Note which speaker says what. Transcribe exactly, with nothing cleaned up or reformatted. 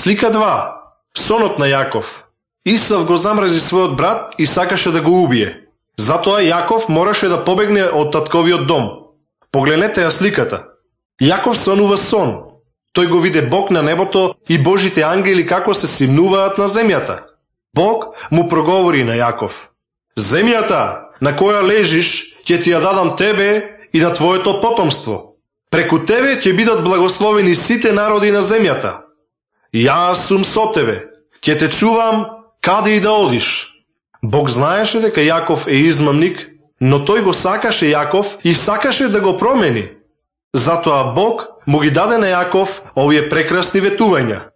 Speaker 1: Слика два. Сонот на Јаков. Исав го замрази својот брат и сакаше да го убие. Затоа Јаков мораше да побегне од татковиот дом. Погледнете ја сликата. Јаков сонува сон. Тој го виде Бог на небото и Божите ангели како се симнуваат на земјата. Бог му проговори на Јаков: земјата на која лежиш ќе ти ја дадам тебе и на твоето потомство. Преку тебе ќе бидат благословени сите народи на земјата. Јас сум со тебе, ќе те чувам каде и да одиш. Бог знаеше дека Јаков е измамник, но тој го сакаше Јаков и сакаше да го промени. Затоа Бог му ги даде на Јаков овие прекрасни ветувања.